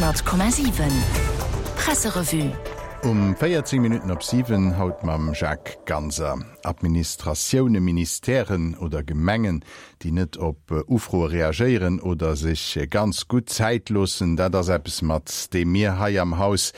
100,7 Presserevue. Um 14 Minutten op 7, haut mam Jacques Ganser. Administratioune, Ministèren oder Gemengen, déi net op Ufroe reagéieren oder sech ganz gutt Zäit loossen, dat ass eppes, mat deem mir hei am Haus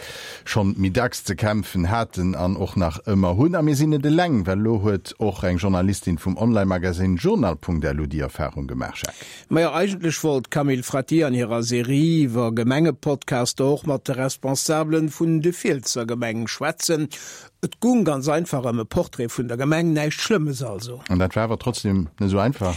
schonn méi dacks ze kämpfen haten an och nach ëmmer hunn. A mir sinn net eleng, well elo huet och eng Journalistin vum Online-Magasinn Journal.lu déi Erfarung gemaach. Jacques. Majo, eigentlech wollt d'Camille Fratti an hirer Serie iwwer Gemengepodcaster och mat de Responsabelen vun de Fielsser Gemeng schwätzen. Et gung ganz einfach ëm e Portrait vun der Gemeng, näischt Schlëmmes also. An dat war awer trotzdem net esou einfach?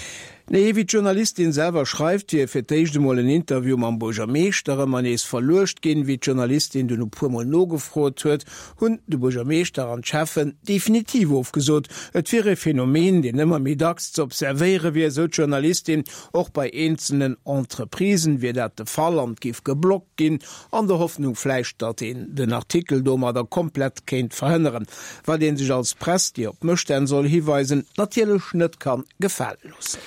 Nee, wéi d'Journalistin selwer schreift, wier fir d'éischt emol en Interview mam Buergermeeschter ëmmer nees verluecht ginn. Wéi d'Journalistin dunn e puer Mol nogefrot huet, hunn de Buergermeeschter an d'Schäffen definitiv ofgesot. Et wier e Phänomen, deen ëmmer méi dacks ze observéiere wier, esou d'Journalistin. Och bei eenzelnen Entreprisen wier dat de Fall an et géif geblockt ginn, an der Hoffnung vläicht, datt een den Artikel domadder komplett kéint verhënneren. Wat ee sech als Press, déi op Mësstänn soll hiweisen, natierlech net kann gefale loossen.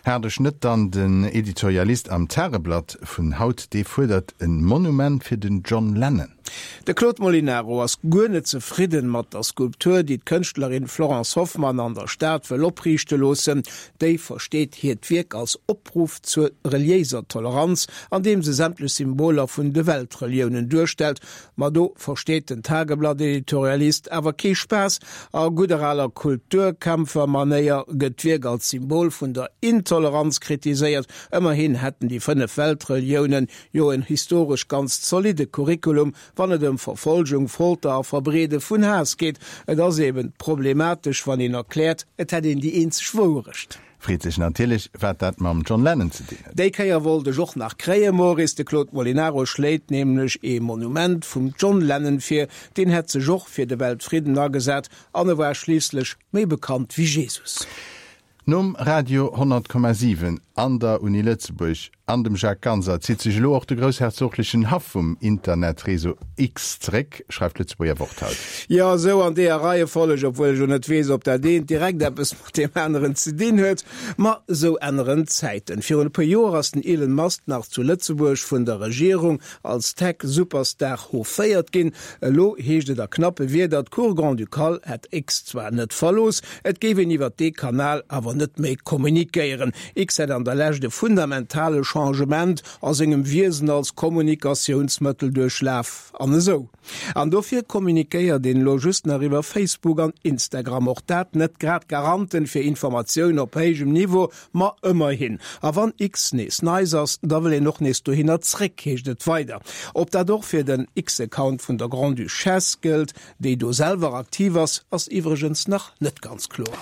Haart ech net dann den Editorialist am Tageblatt vun haut, dee fuerdert en Monument fir den John Lennon. De Claude Molinaro ass guer net zefridden mat der Skulptur, déi d'Kënschtlerin Florence Hoffmann an der Stad wëll opriichte loossen. Déi versteet hiert Wierk als Opruff zur reliéiser Toleranz, andeem se sämtlech Symboler vun de Weltreliounen duerstellt. Ma do versteet den Tageblatt-Editorialist awer kee Spaass. A gudder aler Kulturkämpfer-Manéier gëtt d'Wierk als Symbol vun der Intoleranz kritiséiert. Ëmmerhin hätten déi 5 Weltreliounen jo en historesch ganz zolidde Curriculum, wann et ëm Verfolgung, Folter a Verbreede vun Haass geet. Et ass eben problematesch, wann een erkläert, et hätt een déi eenzeg Wouerecht. Freet sech natierlech, wat dat mam John Lennon ze dinn huet. Déi Kéier wollt ech och nach kréien, Maurice. De Claude Molinaro schléit nämlech ee Monument vum John Lennon vir. Deen hätt sech och fir de Weltfridden agesat an e war schliisslech méi bekannt wéi Jesus. Nom Radio 100,7 an der Uni Lëtzebuerg an dem Jacques Ganser zitt sech elo och de groussherzoglechen Haff vum Internetreseau X zeréck, schreift d'Lëtzebuerger Wort haut. Jo, esou an deeër Reiefolleg, obwuel ech elo net weess, ob dat eent direkt eppes mat deem aneren ze dinn huet. Ma esou änneren d'Zäiten. Virun e puer Joer ass den Elon Musk nach zu Lëtzebuerg vun der Regierung als Tech-Superstar hoféiert ginn. Elo heescht et a knappe Wierder, d'Cour Grand-Ducale hätt X zwar net verlooss, et géif een iwwer dee Kanal awer net méi kommunikéieren. X hätt an der Lescht e fundamentale Changement a sengem Wiesen als Kommunikatiounsmëttel duerchlaf an esou. An dofir kommunikéiert een elo just nach iwwer Facebook an Instagram. Och dat net grad Garanten fir Informatioun op héijem Niveau, Ma ëmmerhin. A wann X nees neis ass, da wëll een och nees dohinner zréck, heescht et weider. Ob dat och fir den X-Account vun der Grande-Duchesse gëllt, déi do selwer aktiv ass, ass iwwregens nach net ganz kloer.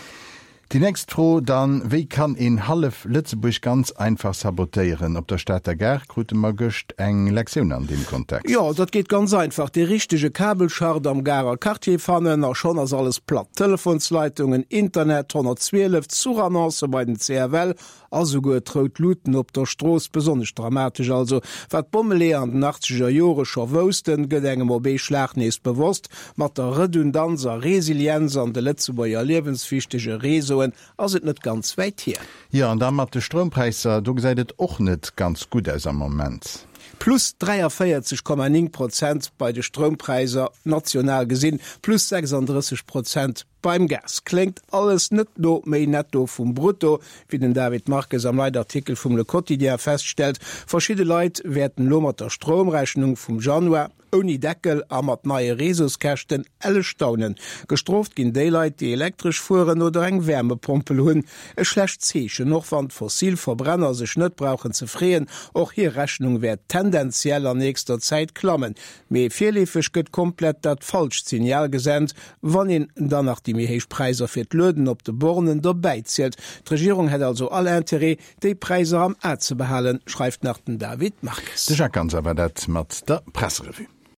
Déi nächst Fro dann, Wéi kann een hallef Lëtzebuerg ganz einfach sabotéieren? Op der Stater Gare krute mer gëscht eng Lektioun an deem Kontext. Jo, dat geet ganz einfach, dee richtege Kabelschacht am Garer Quartier fannen a schonn ass alles platt. Telefonsleitungen, Internet, 112, Zuchannoncë bei den CFL a souguer d'rout Luuten op der Strooss. Besonnesch dramatesch also, wat d'Bommeleeër an den achtzeger Jore scho woussten, gëtt engem op ee Schlag nees bewosst, Mat der Redundanz a Resilienz an de Lëtzebuerger liewenswichtege Réseauen ass et net ganz wäit hier. Jo, an da mat de Stroumpräisser, do gesäit et och net ganz gutt aus am Moment. Plus 43,9 Prozent bei de Stroumpräisser national gesinn, plus 36 Prozent beim Gas. Kléngt alles net no méi Netto vum Brutto, wéi den David Marques am Leitartikel vum Le Quotidien feststellt. Verschidde Leit wäerten elo mat der Stroumrechnung vum Januar, Ouni Deckel a mat neie Réseauskäschten, elle staunen. Gestrooft ginn déi Leit, déi elektresch fueren oder eng Wärmepompel hunn. E schlecht Zeechen, och wann d'Fossilverbrenner sech net brauchen ze freeën, och hir Rechnung wäert tendenziell an nächster Zäit klammen. Mee virleefeg gëtt komplett dat falscht Signal gesent, wann een dann nach déi méi héich Präisser fir d'Lueden op de Bornen dobäizielt. D'Regierung hätt also all Interêt, déi Präisser am A ze behalen, schreift nach den David Marques. De Jacques Ganser war dat mat der Presserevue.